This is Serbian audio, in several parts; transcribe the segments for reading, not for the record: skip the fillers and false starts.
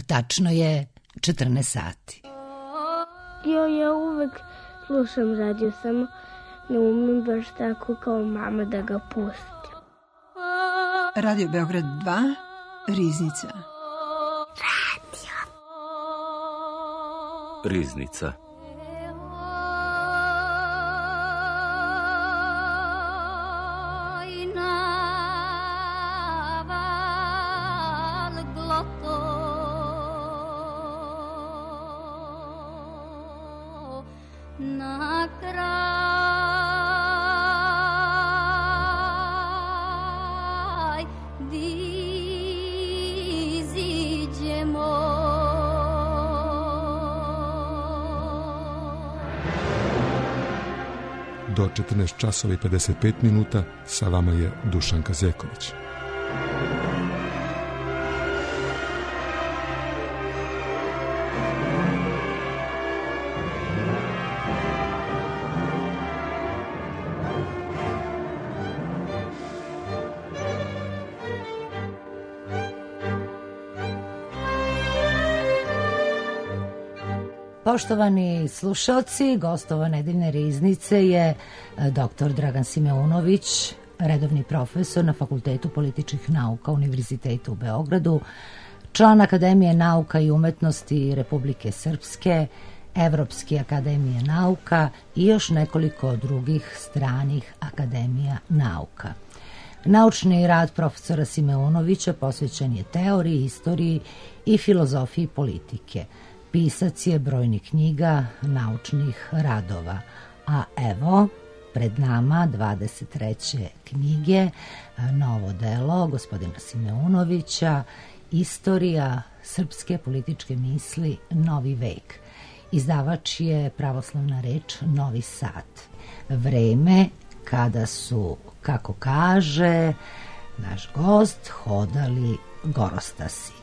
Tačno je 14 sati. Ja uvek slušam radio, samo ne umem baš tako kao mama da ga pustim. Radio Beograd 2, Riznica. Riznica. Do 14 časova i 55 minuta sa vama je Dušanka Zeković. Poštovani slušalci, gostova nedeljne riznice je dr. Dragan Simeunović, redovni profesor na Fakultetu političkih nauka Univerziteta u Beogradu, član Akademije nauka i umetnosti Republike Srpske, Evropske akademije nauka i još nekoliko drugih stranih akademija nauka. Naučni rad profesora Simeunovića posvećen je teoriji, istoriji i filozofiji politike. Pisac je brojnih knjiga, naučnih radova, a evo pred nama 23. knjige, novo delo gospodina Simeunovića, Istorija srpske političke misli, Novi vek. Izdavač je pravoslavna reč Novi Sad. Vreme kada su, kako kaže naš gost, hodali gorostasi.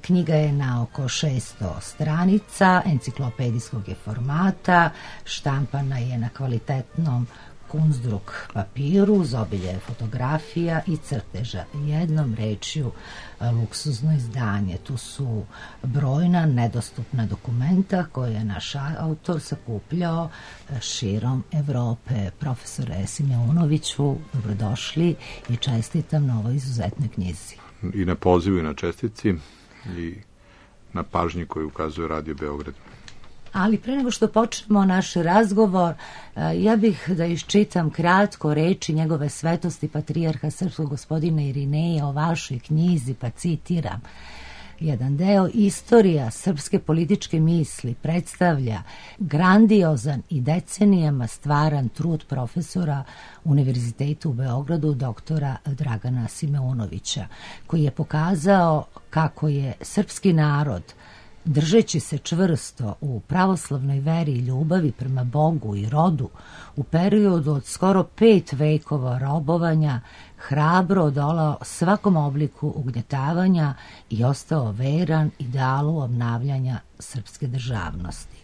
Knjiga je na oko 600 stranica, enciklopedijskog je formata, štampana je na kvalitetnom kunzdruk papiru, uz obilje fotografija i crteža. Jednom rečju, luksuzno izdanje. Tu su brojna nedostupna dokumenta koje je naš autor sakupljao širom Evrope. Profesore Simeunoviću, dobrodošli i čestitam na ovoj izuzetnoj knjizi. I na pozivu i na čestici i na pažnji koju ukazuje Radio Beograd. Ali pre nego što počnemo naš razgovor, ja bih da iščitam kratko reči njegove svetosti patrijarha srpskog gospodina Irineja o vašoj knjizi, pa citiram. Jedan deo: Istorija srpske političke misli predstavlja grandiozan i decenijama stvaran trud profesora Univerziteta u Beogradu doktora Dragana Simeunovića, koji je pokazao kako je srpski narod, držeći se čvrsto u pravoslavnoj veri i ljubavi prema Bogu i rodu, u periodu od skoro 5 vekova robovanja, hrabro odolao svakom obliku ugnjetavanja i ostao veran idealu obnavljanja srpske državnosti.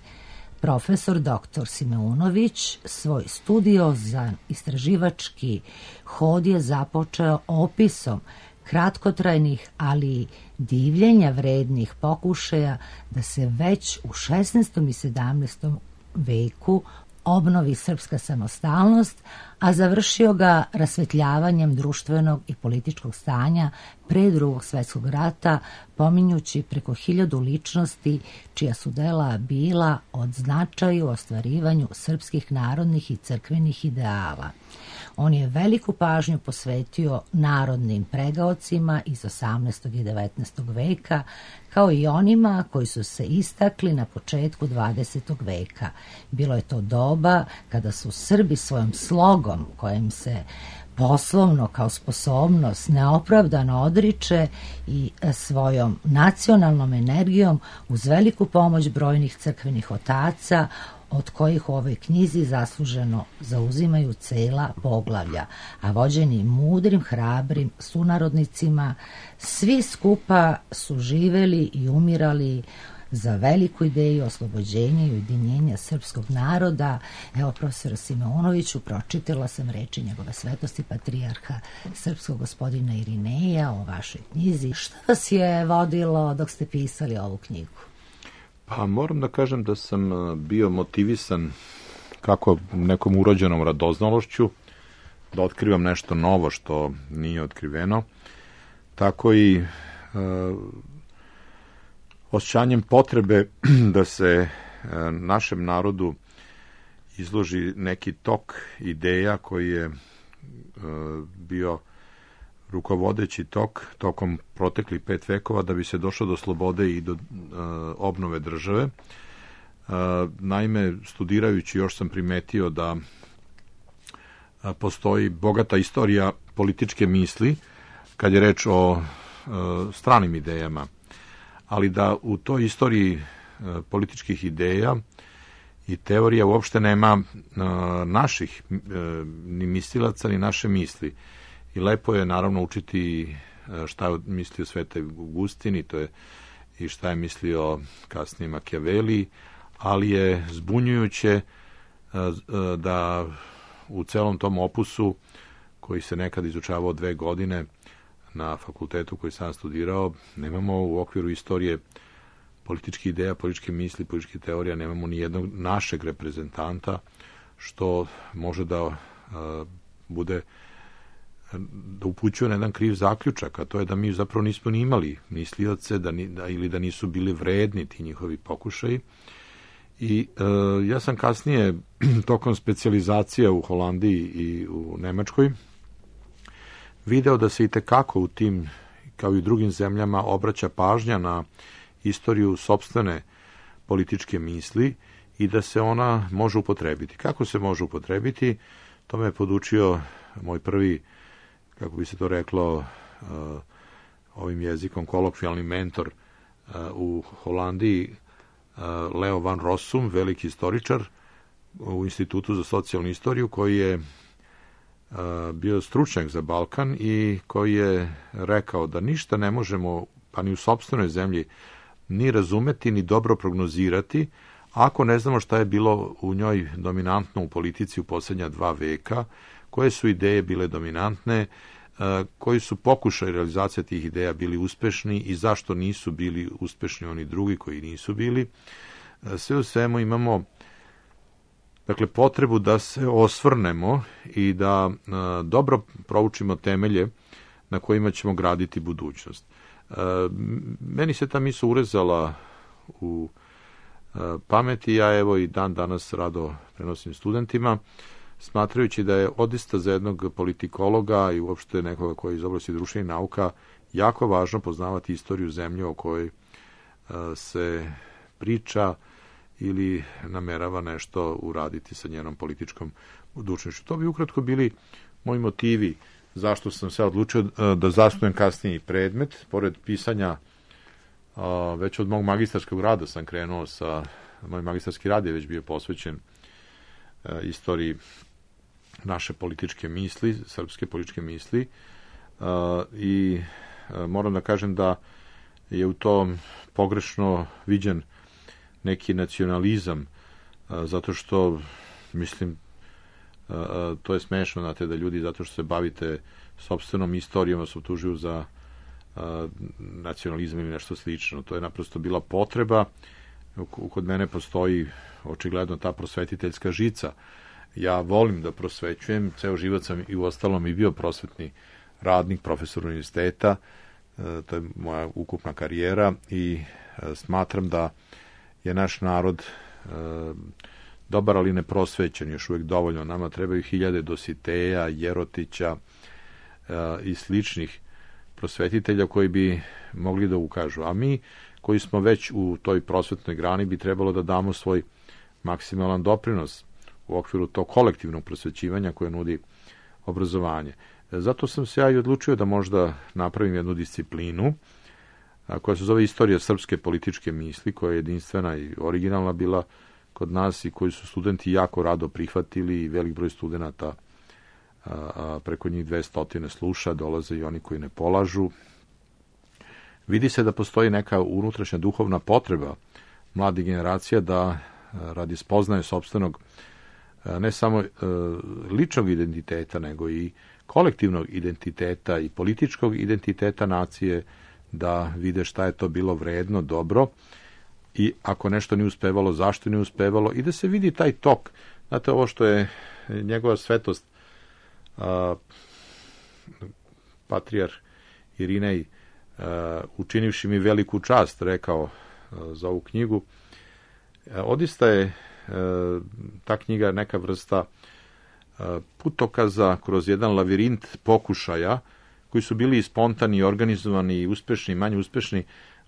Profesor dr. Simeunović svoj studiozan istraživački hod je započeo opisom kratkotrajnih, ali divljenja vrednih pokušaja da se već u 16. i 17. veku obnovi srpska samostalnost, a završio ga rasvetljavanjem društvenog i političkog stanja pre Drugog svjetskog rata, pominjući preko 1000 ličnosti čija su dela bila od značaju u ostvarivanju srpskih narodnih i crkvenih ideala. On je veliku pažnju posvetio narodnim pregaocima iz 18. i 19. veka, kao i onima koji su se istakli na početku 20. veka. Bilo je to doba kada su Srbi svojom slogom, kojim se poslovno kao sposobnost neopravdano odriče, i svojom nacionalnom energijom uz veliku pomoć brojnih crkvenih otaca, od kojih u ovoj knjizi zasluženo zauzimaju cela poglavlja, a vođeni mudrim, hrabrim sunarodnicima, svi skupa su živeli i umirali za veliku ideju oslobođenja i ujedinjenja srpskog naroda. Evo, profesora Simonoviću, pročitala sam reči njegove svetosti patrijarha srpskog gospodina Irineja o vašoj knjizi. Šta vas je vodilo dok ste pisali ovu knjigu? Pa moram da kažem da sam bio motivisan kako nekom urođenom radoznalošću da otkrivam nešto novo što nije otkriveno, tako i osjećanjem potrebe da se našem narodu izloži neki tok ideja koji je bio rukovodeći tok tokom proteklih 5 vekova da bi se došlo do slobode i do obnove države. Naime, studirajući još sam primetio da postoji bogata istorija političke misli kad je reč o stranim idejama, ali da u toj istoriji političkih ideja i teorija uopšte nema naših ni mislilaca ni naše misli. I lepo je naravno učiti šta je mislio Sveti Augustin i šta je mislio kasnije Machiavelli, ali je zbunjujuće da u celom tom opusu koji se nekad izučavao 2 godine na fakultetu koji sam studirao, nemamo u okviru istorije političkih ideja, političke misli, političke teorija, nemamo ni jednog našeg reprezentanta što može da bude da upućuje na jedan kriv zaključak, a to je da mi zapravo nismo ni imali mislioce ili da nisu bili vredni ti njihovi pokušaji. I ja sam kasnije tokom specijalizacije u Holandiji i u Nemačkoj video da se i tekako u tim, kao i u drugim zemljama, obraća pažnja na istoriju sopstvene političke misli i da se ona može upotrebiti. Kako se može upotrebiti? To me je podučio moj prvi, kako bi se to reklo, ovim jezikom kolokvijalni mentor u Holandiji, Leo van Rossum, veliki istoričar u Institutu za socijalnu istoriju, koji je bio stručnjak za Balkan i koji je rekao da ništa ne možemo, pa ni u sopstvenoj zemlji, ni razumeti, ni dobro prognozirati, ako ne znamo šta je bilo u njoj dominantno u politici u posljednja 2 veka, koje su ideje bile dominantne, koji su pokušaj realizacije tih ideja bili uspešni i zašto nisu bili uspešni oni drugi koji nisu bili. Sve u svemu imamo potrebu da se osvrnemo i da dobro proučimo temelje na kojima ćemo graditi budućnost. Meni se ta misao urezala u pameti, ja evo i dan danas rado prenosim studentima, smatrajući da je odista za jednog politikologa i uopšte nekoga koji je iz oblasti društvenih nauka jako važno poznavati istoriju zemlje o kojoj se priča ili namerava nešto uraditi sa njenom političkom budućnošću. To bi ukratko bili moji motivi zašto sam se odlučio da zasnujem kasnije i predmet. Pored pisanja, već od mog magistarskog rada sam krenuo moj magistarski rad je već bio posvećen istoriji naše političke misli, srpske političke misli, i moram da kažem da je u tom pogrešno viđen neki nacionalizam, zato što, mislim, to je smešno, znate, da ljudi, zato što se bavite sopstvenom istorijom, vas optužuju za nacionalizam ili nešto slično. To je naprosto bila potreba. Kod mene postoji očigledno ta prosvetiteljska žica. Ja volim da prosvećujem, ceo život sam i uostalom i bio prosvetni radnik, profesor univerziteta, to je moja ukupna karijera i smatram da je naš narod dobar, ali ne prosvećen još uvijek dovoljno. Nama trebaju 1000 Dositeja, Jerotića i sličnih prosvetitelja koji bi mogli da ukažu. A mi koji smo već u toj prosvetnoj grani bi trebalo da damo svoj maksimalan doprinos u okviru tog kolektivnog prosvećivanja koje nudi obrazovanje. Zato sam se ja i odlučio da možda napravim jednu disciplinu koja se zove Istorija srpske političke misli, koja je jedinstvena i originalna bila kod nas i koju su studenti jako rado prihvatili i velik broj studenata, preko njih 200 sluša, dolaze i oni koji ne polažu. Vidi se da postoji neka unutrašnja duhovna potreba mladih generacija da radi spoznaje sopstvenog ne samo ličnog identiteta, nego i kolektivnog identiteta i političkog identiteta nacije, da vide šta je to bilo vredno, dobro, i ako nešto nije uspevalo, zašto nije uspevalo, i da se vidi taj tok. Znate, ovo što je njegova svetost patrijarh Irinej, učinivši mi veliku čast, rekao za ovu knjigu, odista je ta knjiga neka vrsta putokaza kroz jedan lavirint pokušaja koji su bili spontani, organizovani, uspešni, manje uspešni.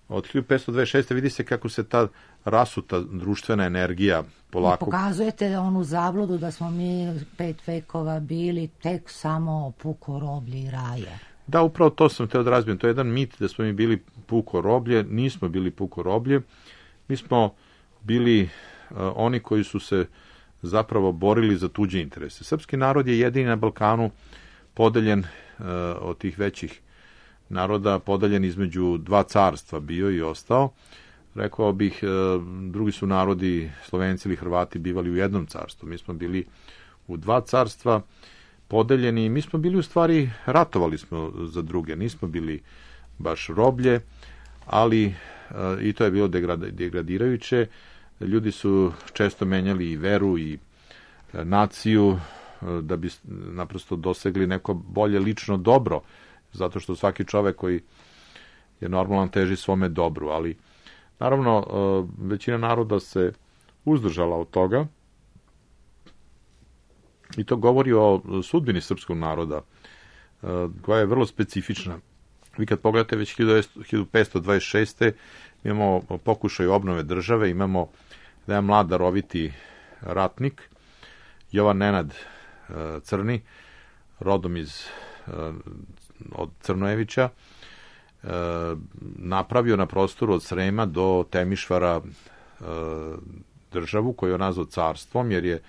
Od 1526. vidi se kako se ta rasuta društvena energija polako... Pokazujete onu zabludu da smo mi 5 vekova bili tek samo puko roblje i raje. Da, upravo to sam teo da razbijem. To je jedan mit da smo mi bili puko roblje. Nismo bili puko roblje. Mi smo bili oni koji su se zapravo borili za tuđe interese. Srpski narod je jedini na Balkanu podeljen od tih većih naroda, podeljen između dva carstva bio i ostao. Rekao bih, drugi su narodi, Slovenci ili Hrvati, bivali u jednom carstvu. Mi smo bili u dva carstva podeljeni. Mi smo bili u stvari, ratovali smo za druge. Nismo bili baš roblje, ali i to je bilo degradirajuće. Ljudi su često menjali i veru i naciju da bi naprosto dosegli neko bolje lično dobro, zato što svaki čovek koji je normalan teži svome dobru, ali naravno većina naroda se uzdržala od toga i to govori o sudbini srpskog naroda, koja je vrlo specifična. Vi kad pogledate već 1526. imamo pokušaj obnove države, imamo da je mlad daroviti ratnik, Jovan Nenad Crni, rodom od Crnojevića, napravio na prostoru od Srema do Temišvara državu koju je nazvao carstvom, jer je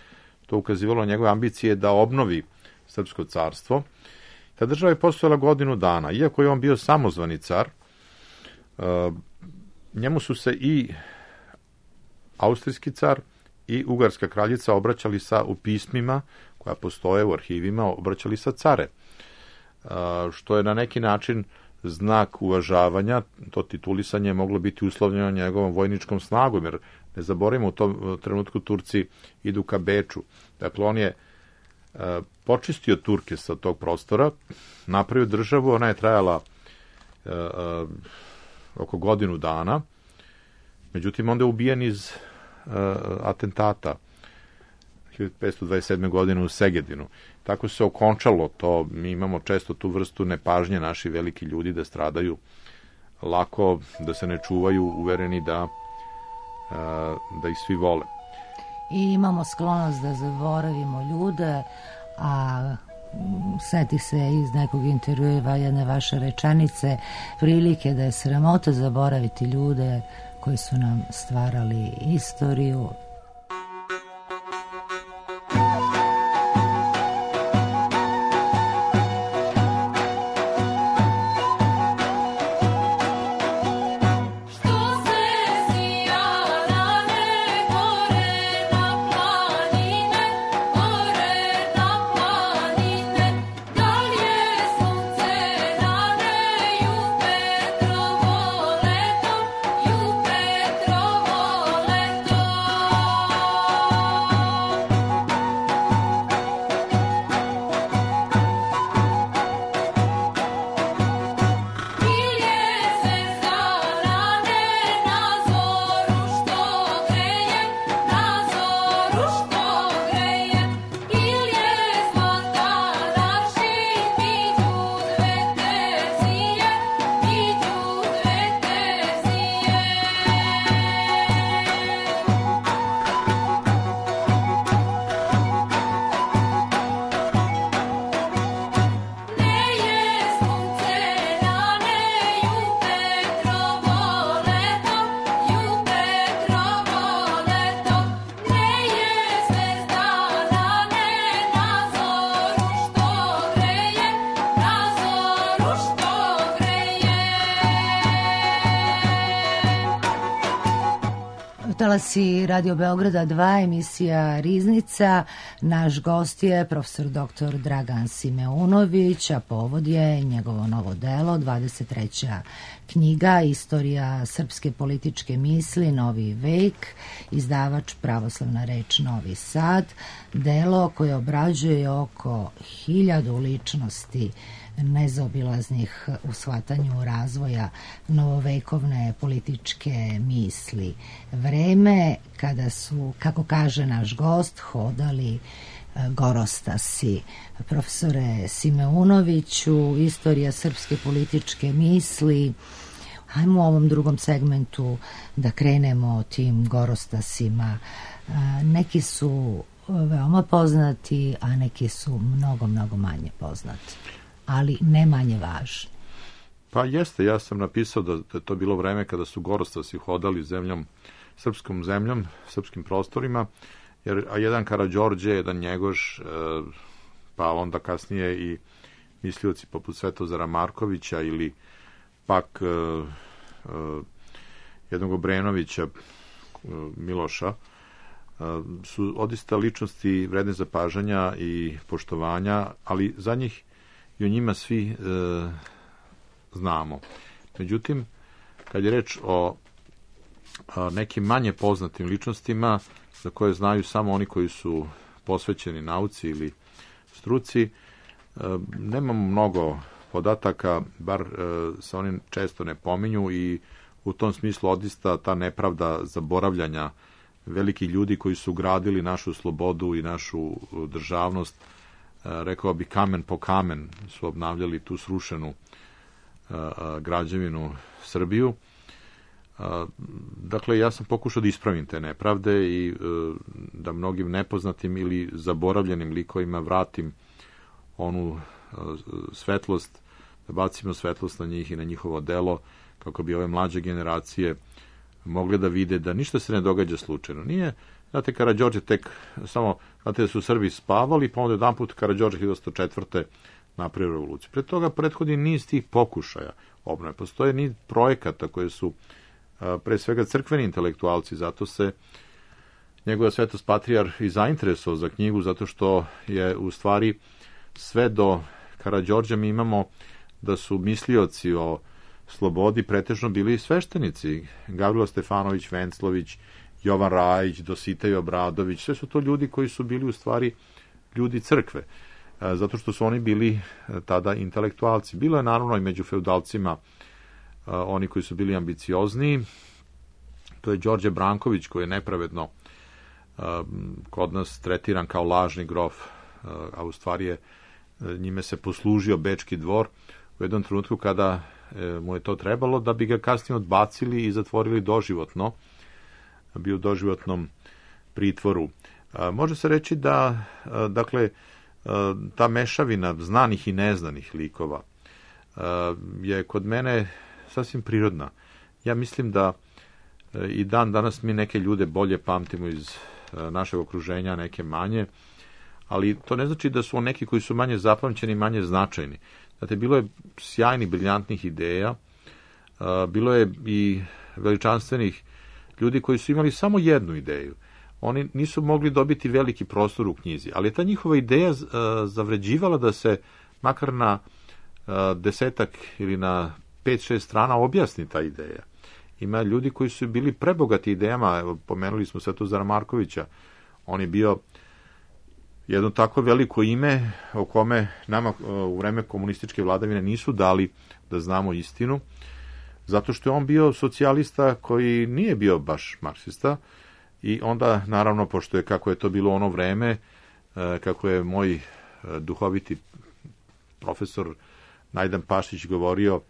to ukazivalo na njegove ambicije da obnovi srpsko carstvo. Ta država je postojala godinu dana. Iako je on bio samozvani car, njemu su se i austrijski car i ugarska kraljica obraćali u pismima koja postoje u arhivima, obraćali sa care, što je na neki način znak uvažavanja. To titulisanje je moglo biti uslovljeno njegovom vojničkom snagom, jer ne zaboravimo, u tom trenutku Turci idu ka Beču. Dakle, on je počistio Turke sa tog prostora, napravio državu, ona je trajala oko godinu dana, međutim onda je ubijen iz atentata 1527. godine u Segedinu. Tako se okončalo to. Mi imamo često tu vrstu nepažnje, naši veliki ljudi da stradaju lako, da se ne čuvaju, uvereni da ih svi vole. I imamo sklonost da zaboravimo ljude, a seti se iz nekog intervjua jedne vaše rečenice, prilike da je sramota zaboraviti ljude koji su nam stvarali istoriju. Talasi Radio Beograda 2, emisija Riznica. Naš gost je profesor dr. Dragan Simeunović, a povod je njegovo novo delo, 23. knjiga Istorija srpske političke misli, Novi vek, izdavač Pravoslavna reč Novi Sad, delo koje obrađuje oko 1000 ličnosti nezaobilaznih u shvatanju razvoja novovekovne političke misli. Vreme kada su, kako kaže naš gost, hodali gorostasi. Profesore Simeunoviću, Istorija srpske političke misli, hajmo u ovom drugom segmentu da krenemo tim gorostasima. Neki su veoma poznati, a neki su mnogo, mnogo manje poznati, ali ne manje važni. Pa jeste, ja sam napisao da je to bilo vreme kada su gorostasi hodali srpskom zemljom, srpskim prostorima, a jedan Karađorđe, jedan Njegoš, pa onda kasnije i mislioci poput Svetozara Markovića ili pak jednog Obrenovića, Miloša, su odista ličnosti vredne zapažanja i poštovanja, ali za njih i o njima svi znamo. Međutim, kad je reč o nekim manje poznatim ličnostima za koje znaju samo oni koji su posvećeni nauci ili struci, nemamo mnogo podataka, bar se oni često ne pominju i u tom smislu odista ta nepravda zaboravljanja velikih ljudi koji su gradili našu slobodu i našu državnost, rekao bi kamen po kamen su obnavljali tu srušenu građevinu Srbiju. Dakle, ja sam pokušao da ispravim te nepravde i da mnogim nepoznatim ili zaboravljenim likovima vratim onu svetlost, da bacimo svetlost na njih i na njihovo delo, kako bi ove mlađe generacije mogle da vide da ništa se ne događa slučajno. Nije, znate, Karađorđe tek samo, znate da su Srbi spavali, pa onda jedan put Karađorđe 1904. napravio revoluciju. Pred toga prethodi niz tih pokušaja obnove. Postoje niz projekata koje su pre svega crkveni intelektualci, zato se njegova svetost patrijar i zainteresovao za knjigu, zato što je u stvari sve do Karađorđa mi imamo da su mislioci o slobodi pretežno bili sveštenici. Gavrilo Stefanović, Venclović, Jovan Rajić, Dositej Obradović, sve su to ljudi koji su bili u stvari ljudi crkve, zato što su oni bili tada intelektualci. Bilo je naravno i među feudalcima oni koji su bili ambiciozniji. To je Đorđe Branković, koji je nepravedno kod nas tretiran kao lažni grof, a u stvari je njime se poslužio Bečki dvor u jednom trenutku kada mu je to trebalo, da bi ga kasnije odbacili i zatvorili doživotno, bio u doživotnom pritvoru. Može se reći da, dakle, ta mešavina znanih i neznanih likova je kod mene sasvim prirodna. Ja mislim da i dan danas mi neke ljude bolje pamtimo iz našeg okruženja, neke manje, ali to ne znači da su neki koji su manje zapamćeni, manje značajni. Znate, bilo je sjajnih, briljantnih ideja, bilo je i veličanstvenih ljudi koji su imali samo jednu ideju. Oni nisu mogli dobiti veliki prostor u knjizi, ali je ta njihova ideja zavređivala da se makar na 10 ili na 5-6 strana objasni ta ideja. Ima ljudi koji su bili prebogati idejama, evo, pomenuli smo Svetozara Markovića, on je bio jedno tako veliko ime o kome nama u vreme komunističke vladavine nisu dali da znamo istinu, zato što je on bio socijalista koji nije bio baš marksista i onda, naravno, pošto je kako je to bilo ono vreme, kako je moj duhoviti profesor Najdan Pašić govorio,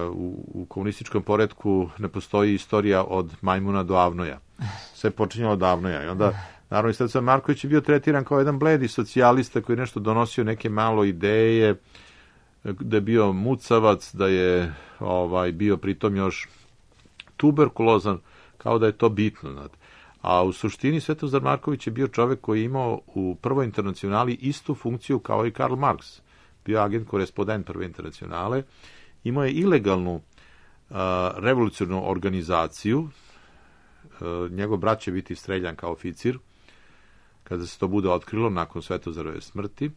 u komunističkom poretku ne postoji istorija od majmuna do avnoja. Sve počinjalo od avnoja. I onda, naravno, Svetozar Marković je bio tretiran kao jedan bledi socijalista koji je nešto donosio, neke malo ideje, da je bio mucavac, da je bio pritom još tuberkulozan, kao da je to bitno. Znate. A u suštini Svetozar Marković je bio čovek koji je imao u Prvoj internacionali istu funkciju kao i Karl Marx. Bio agent korespondent Prve internacionale, imao je ilegalnu revolucionarnu organizaciju njegov brat će biti streljan kao oficir, kada se to bude otkrilo nakon Svetozarove smrti,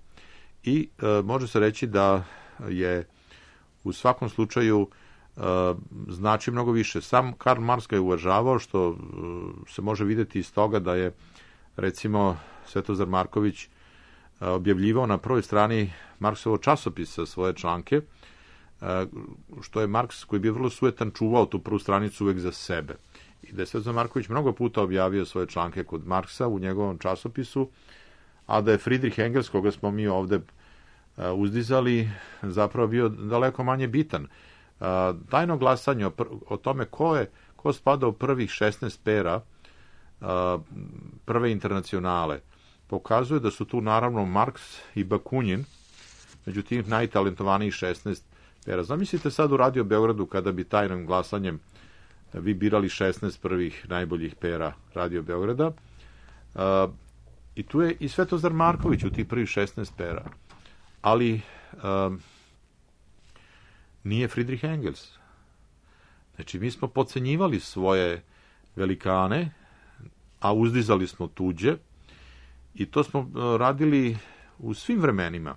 i može se reći da je u svakom slučaju znači mnogo više. Sam Karl Marx ga je uvažavao, što se može vidjeti iz toga da je, recimo, Svetozar Marković objavljivao na prvoj strani Marksovog časopisa svoje članke, što je Marks, koji je bio vrlo sujetan, čuvao tu prvu stranicu uvek za sebe. I da je Svetozar Marković mnogo puta objavio svoje članke kod Marksa u njegovom časopisu, a da je Friedrich Engels, koga smo mi ovde uzdizali, zapravo bio daleko manje bitan. Tajno glasanje o tome ko spada u prvih 16 pera prve internacionale pokazuje da su tu naravno Marks i Bakunin među tim najtalentovanijih 16 pera. Zamislite sad u Radio Beogradu kada bi tajnim glasanjem vi birali 16 prvih najboljih pera Radio Beograda, i tu je i Svetozar Marković u tih prvih 16 pera, ali nije Friedrich Engels. Znači, mi smo podcenjivali svoje velikane, a uzdizali smo tuđe, i to smo radili u svim vremenima.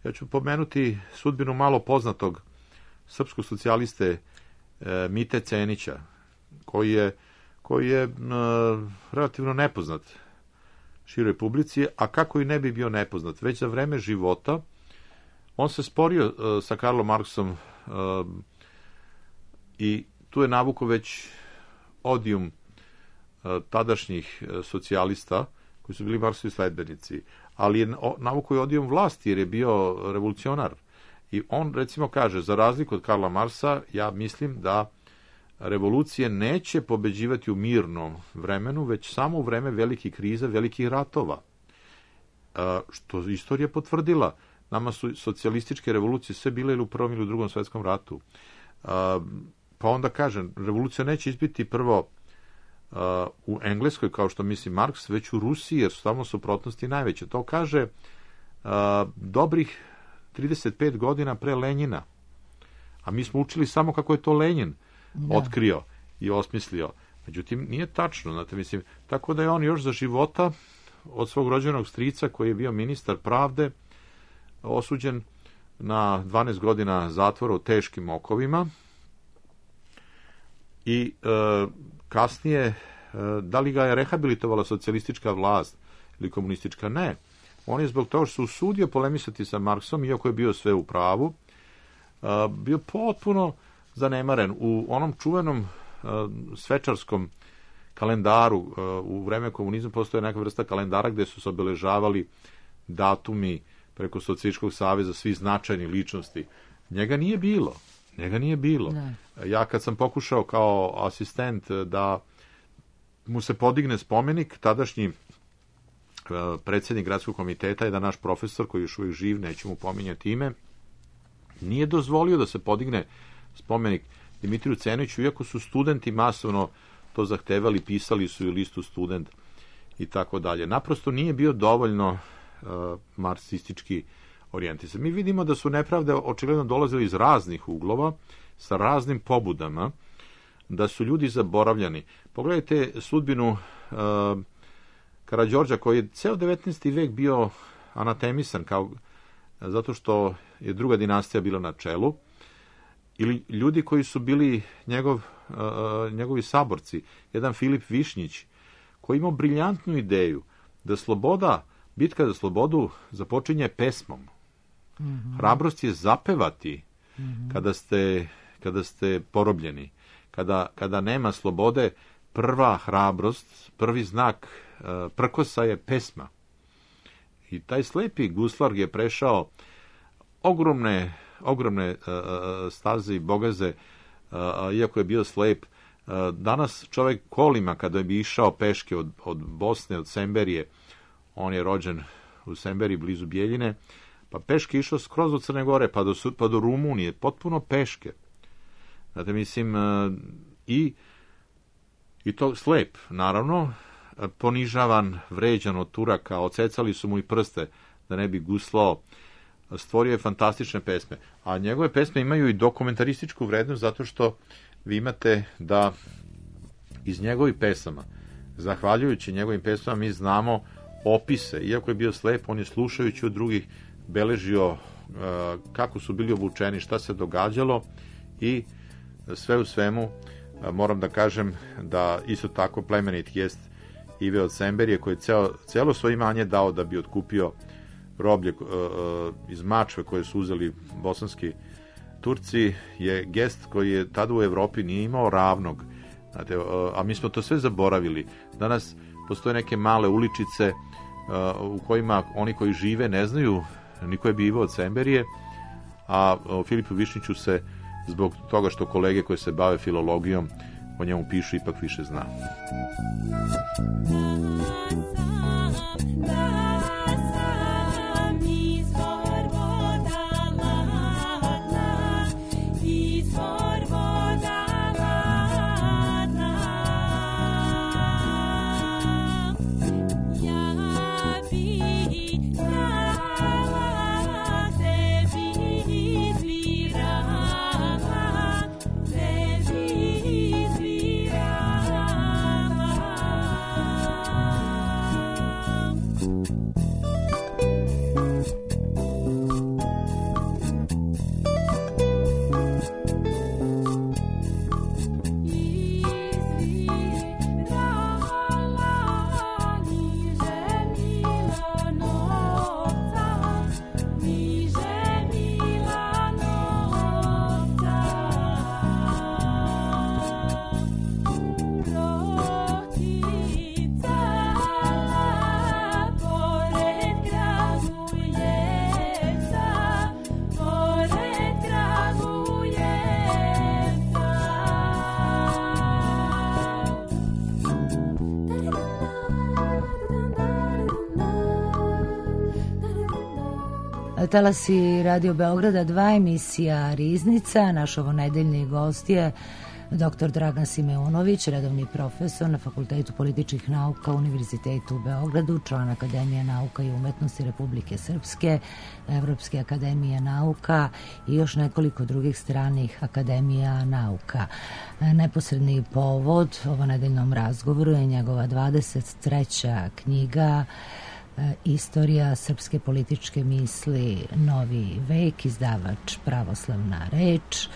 Ja ću pomenuti sudbinu malo poznatog srpskog socijaliste Mite Cenića, koji je relativno nepoznat široj publici, a kako i ne bi bio nepoznat. Već za vreme života on se sporio sa Karlom Marksom i tu je navukao već odijum tadašnjih socijalista koji su bili Marksovi sledbenici, ali je navukao i odijum vlasti jer je bio revolucionar. I on, recimo, kaže, za razliku od Karla Marksa, ja mislim da revolucije neće pobeđivati u mirnom vremenu, već samo u vreme velikih kriza, velikih ratova. Što istorija potvrdila. Nama su socijalističke revolucije sve bile ili u Prvom ili u Drugom svetskom ratu. Pa onda kažem, revolucija neće izbiti prvo u Engleskoj, kao što misli Marks, već u Rusiji, jer su tamo suprotnosti najveće. To kaže dobrih 35 godina pre Lenjina. A mi smo učili samo kako je to Lenjin otkrio i osmislio. Međutim, nije tačno. Znate, mislim, tako da je on još za života od svog rođenog strica, koji je bio ministar pravde, osuđen na 12 godina zatvora u teškim okovima, i kasnije, da li ga je rehabilitovala socijalistička vlast ili komunistička? Ne. On je zbog toga što se usudio polemisati sa Marksom, iako je bio sve u pravu, bio potpuno zanemaren. U onom čuvenom svečarskom kalendaru u vreme komunizma postoje neka vrsta kalendara gde su se obeležavali datumi preko Socijalističkog saveza svih značajnih ličnosti. Njega nije bilo. Ne. Ja kad sam pokušao kao asistent da mu se podigne spomenik, tadašnji predsjednik gradskog komiteta, jedan naš profesor koji je još uvijek živ, neću mu pominjati ime, nije dozvolio da se podigne spomenik Dimitriju Ceniću, iako su studenti masovno to zahtevali, pisali su i listu student i tako dalje. Naprosto nije bio dovoljno marksistički orijentisan. Mi vidimo da su nepravde očigledno dolazili iz raznih uglova, sa raznim pobudama, da su ljudi zaboravljani. Pogledajte sudbinu Karađorđa, koji je ceo 19. vek bio anatemisan, zato što je druga dinastija bila na čelu, ili ljudi koji su bili njegovi saborci. Jedan Filip Višnjić, koji imao briljantnu ideju da bitka za slobodu započinje pesmom. Mm-hmm. Hrabrost je zapevati kada ste porobljeni. Kada nema slobode, prva hrabrost, prvi znak prkosa je pesma. I taj slepi guslar je prešao ogromne staze i bogaze, iako je bio slep. Danas čovjek kolima, kada bi išao peške od Bosne, od Semberije, on je rođen u Semberiji blizu Bijeljine, pa peške išao skroz od Crne Gore pa do Rumunije, potpuno peške. Znate, mislim, i to slep, naravno, ponižavan, vređan od Turaka, odsecali su mu i prste da ne bi guslao, stvorio je fantastične pesme. A njegove pesme imaju i dokumentarističku vrednost, zato što vi imate da iz njegovih pesama. Zahvaljujući njegovim pesama mi znamo opise, iako je bio slep, on je slušajući od drugih beležio kako su bili obučeni, šta se događalo i sve u svemu moram da kažem da isto tako plemenit jest Ive od Semberije koji je celo svoje imanje dao da bi otkupio roblje iz Mačve koje su uzeli bosanski Turci, je gest koji je tada u Evropi nije imao ravnog. Znate, a mi smo to sve zaboravili. Danas postoje neke male uličice u kojima oni koji žive ne znaju ni ko je bio Ivo od Semberije, a o Filipu Višnjiću se zbog toga što kolege koje se bave filologijom o njemu pišu ipak više zna. Talasi Radio Beograda 2, emisija Riznica. Naš ovonedeljni gost je dr. Dragan Simeunović, redovni profesor na Fakultetu političkih nauka Univerzitetu u Beogradu, član Akademije nauka i umetnosti Republike Srpske, Evropske akademije nauka i još nekoliko drugih stranih akademija nauka. Neposredni povod ovonedeljnom razgovoru je njegova 23. knjiga Istorija srpske političke misli, Novi vek, izdavač Pravoslavna reč,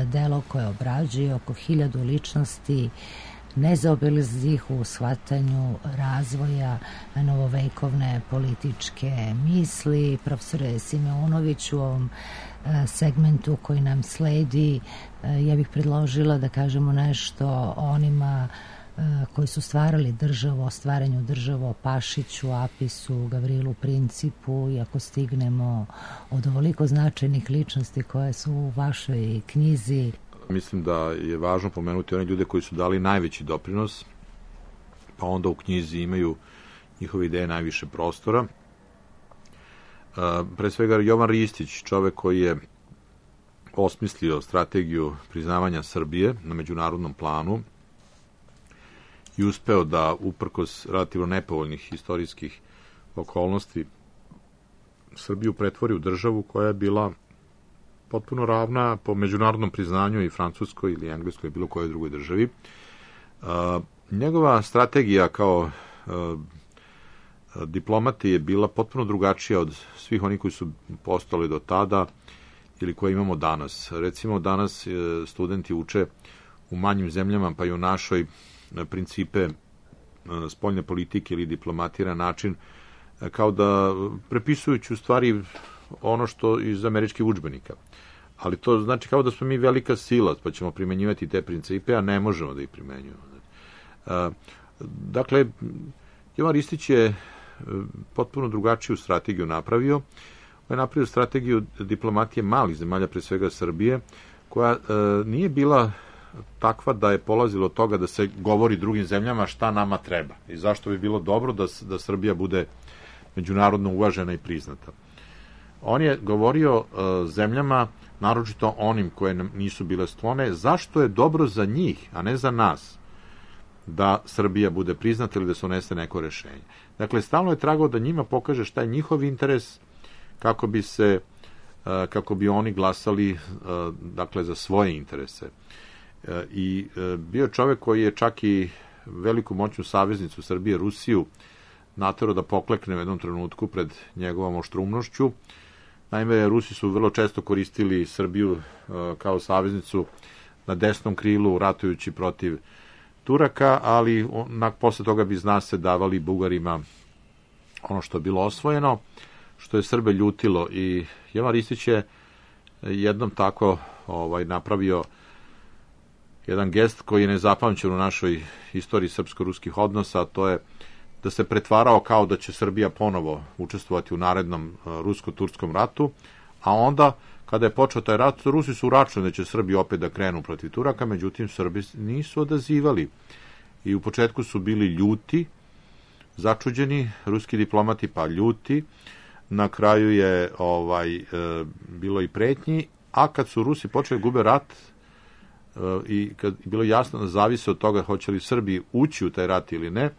delo koje obrađuje oko 1000 ličnosti nezaobilaznih u shvatanju razvoja novovekovne političke misli. Profesore Simeunović, u ovom segmentu koji nam sledi, ja bih predložila da kažemo nešto o onima koji su stvarali državu, o stvaranju države, o Pašiću, Apisu, Gavrilu Principu, i ako stignemo od ovoliko značajnih ličnosti koje su u vašoj knjizi. Mislim da je važno pomenuti one ljude koji su dali najveći doprinos, pa onda u knjizi imaju njihove ideje najviše prostora. Pre svega Jovan Ristić, čovek koji je osmislio strategiju priznavanja Srbije na međunarodnom planu i uspeo da, uprkos relativno nepovoljnih istorijskih okolnosti, Srbiju pretvori u državu koja je bila potpuno ravna po međunarodnom priznanju i Francuskoj ili Engleskoj, bilo kojoj drugoj državi. Njegova strategija kao diplomati je bila potpuno drugačija od svih onih koji su postali do tada ili koje imamo danas. Recimo, danas studenti uče u manjim zemljama, pa i u našoj, principe spoljne politike ili diplomatije na način kao da prepisujući u stvari ono što iz američkih udžbenika. Ali to znači kao da smo mi velika sila, pa ćemo primenjivati te principe, a ne možemo da ih primenjujemo. Dakle, Jovan Ristić je potpuno drugačiju strategiju napravio. On je napravio strategiju diplomatije malih zemalja, pre svega Srbije, koja nije bila takva da je polazilo od toga da se govori drugim zemljama šta nama treba i zašto bi bilo dobro da Srbija bude međunarodno uvažena i priznata. On je govorio zemljama, naročito onim koje nam nisu bile sklone, zašto je dobro za njih, a ne za nas, da Srbija bude priznata ili da se unese neko rešenje. Dakle, stalno je tragao da njima pokaže šta je njihov interes, kako bi oni glasali, dakle, za svoje interese. I bio čovek koji je čak i veliku moćnu saveznicu Srbije, Rusiju, naterao da poklekne u jednom trenutku pred njegovom oštrumnošću. Naime, Rusi su vrlo često koristili Srbiju kao saveznicu na desnom krilu, ratujući protiv Turaka, ali posle toga bi zna se davali Bugarima ono što je bilo osvojeno, što je Srbe ljutilo. I Jovan Ristić je jednom tako napravio jedan gest koji je nezapamćen u našoj istoriji srpsko-ruskih odnosa, a to je da se pretvarao kao da će Srbija ponovo učestvovati u narednom rusko-turskom ratu, a onda, kada je počeo taj rat, Rusi su uračunali da će Srbi opet da krenu protiv Turaka, međutim, Srbi nisu odazivali. I u početku su bili ljuti, začuđeni, ruski diplomati pa ljuti, na kraju je bilo i pretnji, a kad su Rusi počeli gube rat, i kad je bilo jasno da zavise od toga hoće li Srbi ući u taj rat ili ne,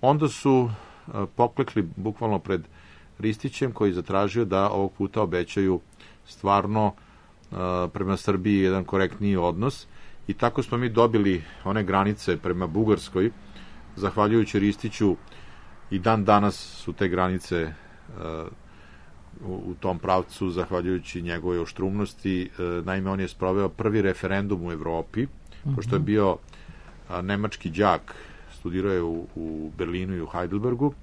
onda su poklekli bukvalno pred Ristićem, koji je zatražio da ovog puta obećaju stvarno prema Srbiji jedan korektniji odnos, i tako smo mi dobili one granice prema Bugarskoj, zahvaljujući Ristiću. I dan danas su te granice u tom pravcu, zahvaljujući njegove oštrumnosti. Naime, on je sproveo prvi referendum u Evropi, pošto je bio nemački đak, studirao je u Berlinu i u Heidelbergu.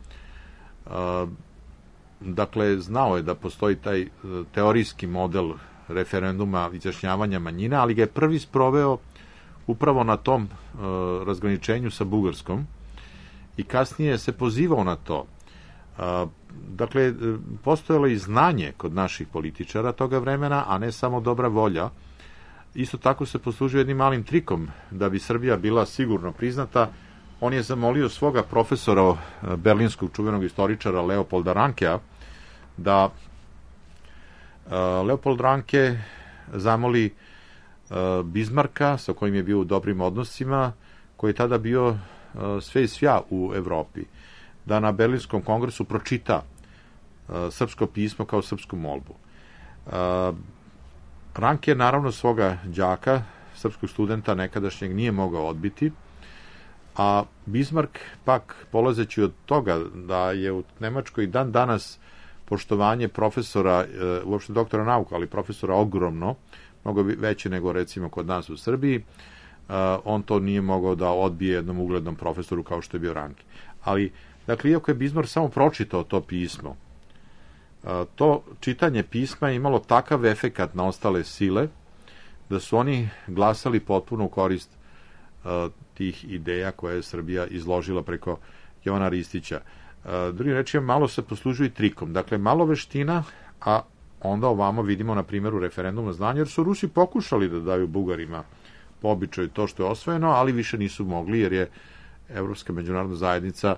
Dakle, znao je da postoji taj teorijski model referenduma izjašnjavanja manjina, ali ga je prvi sproveo upravo na tom razgraničenju sa Bugarskom i kasnije se pozivao na to. Dakle, postojalo i znanje kod naših političara toga vremena, a ne samo dobra volja. Isto tako se poslužio jednim malim trikom da bi Srbija bila sigurno priznata. On je zamolio svoga profesora, berlinskog čuvenog istoričara Leopolda Rankea, da Leopold Ranke zamoli Bizmarka, sa kojim je bio u dobrim odnosima, koji je tada bio sve i svja u Evropi, da na Berlinskom kongresu pročita srpsko pismo kao srpsku molbu. Ranke naravno svoga đaka, srpskog studenta nekadašnjeg, nije mogao odbiti, a Bismarck pak, polazeći od toga da je u Nemačkoj dan danas poštovanje profesora, uopšte doktora nauka, ali profesora ogromno, mnogo veće nego recimo kod nas u Srbiji, on to nije mogao da odbije jednom uglednom profesoru kao što je bio Ranke. Ali, dakle, iako je Bismarck samo pročitao to pismo, to čitanje pisma je imalo takav efekat na ostale sile da su oni glasali potpuno u korist tih ideja koje je Srbija izložila preko Jovana Ristića. Drugim rečima, malo se poslužuje trikom. Dakle, malo veština, a onda ovamo vidimo na primjeru referenduma znanja, jer su Rusi pokušali da daju Bugarima po običaju to što je osvojeno, ali više nisu mogli, jer je Evropska međunarodna zajednica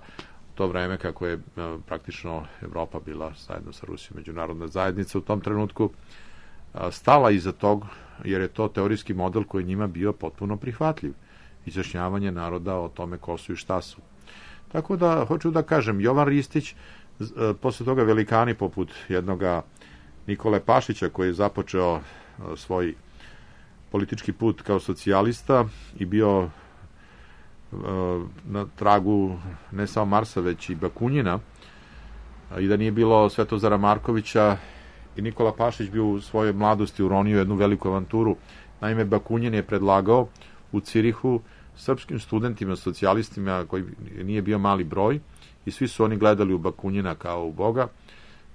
u to vreme, kako je praktično Evropa bila zajedno sa Rusijom međunarodna zajednica u tom trenutku, stala iza tog, jer je to teorijski model koji njima bio potpuno prihvatljiv. Izjašnjavanje naroda o tome ko su i šta su. Tako da, hoću da kažem, Jovan Ristić, posle toga velikani poput jednoga Nikole Pašića, koji je započeo svoj politički put kao socijalista i bio na tragu ne samo Marsa, već i Bakunjina, i da nije bilo Svetozara Markovića, i Nikola Pašić bio u svojoj mladosti uronio jednu veliku avanturu. Naime, Bakunjin je predlagao u Cirihu srpskim studentima, socijalistima, koji nije bio mali broj, i svi su oni gledali u Bakunjina kao u Boga,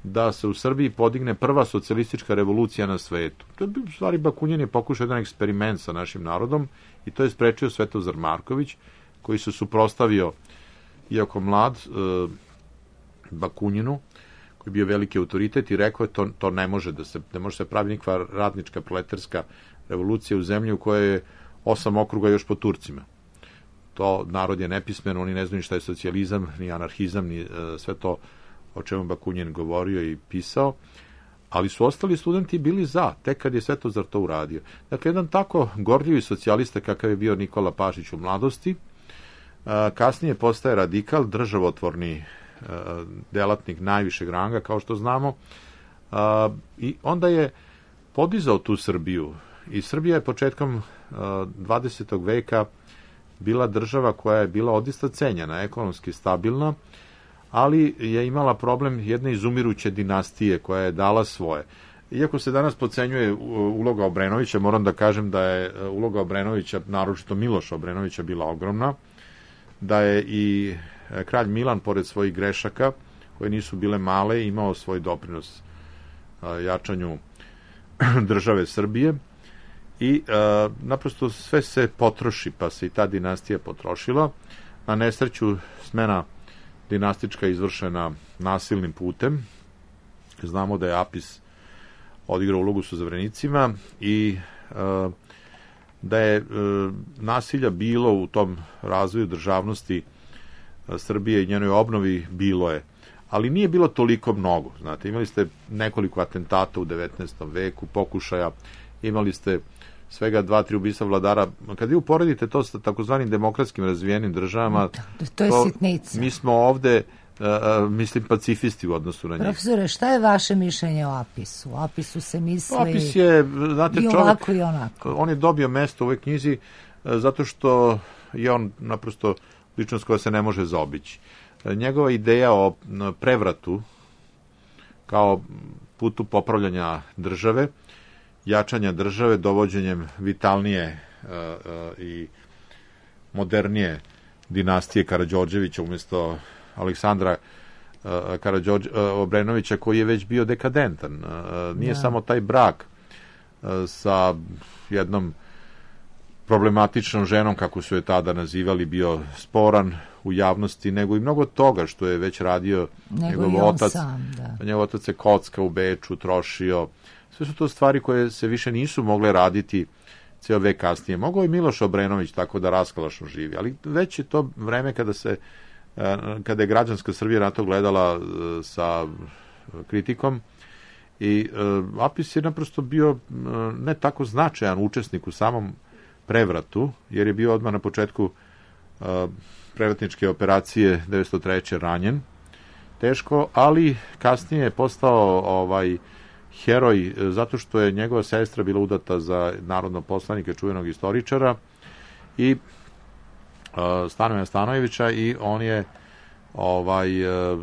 da se u Srbiji podigne prva socijalistička revolucija na svetu. To je, u stvari, Bakunjin je pokušao jedan eksperiment sa našim narodom, i to je sprečio Svetozar Marković, koji se suprotstavio, iako mlad, Bakunjinu, koji je bio veliki autoritet, i rekao je to ne može se pravi nikakva radnička proletarska revolucija u zemlji u kojoj je 8 okruga još po Turcima. To narod je nepismen, oni ne znaju šta je socijalizam, ni anarhizam, ni sve to o čemu Bakunjin govorio i pisao, ali su ostali studenti bili za, tek kad je Svetozar to uradio. Dakle, jedan tako gorljivi socijalista kakav je bio Nikola Pašić u mladosti, kasnije postaje radikal, državotvorni delatnik najvišeg ranga, kao što znamo, i onda je podizao tu Srbiju, I Srbija je početkom 20. veka bila država koja je bila odista cenjena, ekonomski stabilna, ali je imala problem jedne izumiruće dinastije koja je dala svoje. Iako se danas podcenjuje uloga Obrenovića, moram da kažem da je uloga Obrenovića, naročito Miloša Obrenovića, bila ogromna, da je i kralj Milan, pored svojih grešaka, koje nisu bile male, imao svoj doprinos jačanju države Srbije i naprosto sve se potroši, pa se i ta dinastija potrošila. Na nesreću smena dinastička izvršena nasilnim putem. Znamo da je Apis odigrao ulogu sa Zavrenicima i da je nasilja bilo u tom razvoju državnosti Srbije i njenoj obnovi, bilo je. Ali nije bilo toliko mnogo. Znate, imali ste nekoliko atentata u 19. veku, pokušaja, imali ste svega 2-3 ubistva vladara. Kad vi uporedite to sa takozvanim demokratskim razvijenim državama, to je sitnica. Mi smo ovde, mislim, pacifisti u odnosu na njih. Profesore, šta je vaše mišljenje o Apisu? O Apisu se misli Apis je, znate, i ovako i onako. On je dobio mesto u ovoj knjizi zato što je on naprosto ličnost koja se ne može zaobići. Njegova ideja o prevratu kao putu popravljanja države, jačanja države, dovođenjem vitalnije i modernije dinastije Karađorđevića umjesto Aleksandra Obrenovića, koji je već bio dekadentan. Nije samo taj brak sa jednom problematičnom ženom, kako su je tada nazivali, bio sporan u javnosti, nego i mnogo toga što je već radio njegov otac. Njegov otac se kocka u Beču, trošio. Sve su to stvari koje se više nisu mogle raditi ceo vek kasnije. Mogao je Miloš Obrenović tako da raskalašno živi, ali već je to vreme kada je građanska Srbija na to gledala sa kritikom i Apis je naprosto bio ne tako značajan učesnik u samom prevratu, jer je bio odmah na početku prevratničke operacije 1903. ranjen teško, ali kasnije je postao heroj zato što je njegova sestra bila udata za narodnog poslanika, čuvenog istoričara i Stanoja Stanojevića, i on je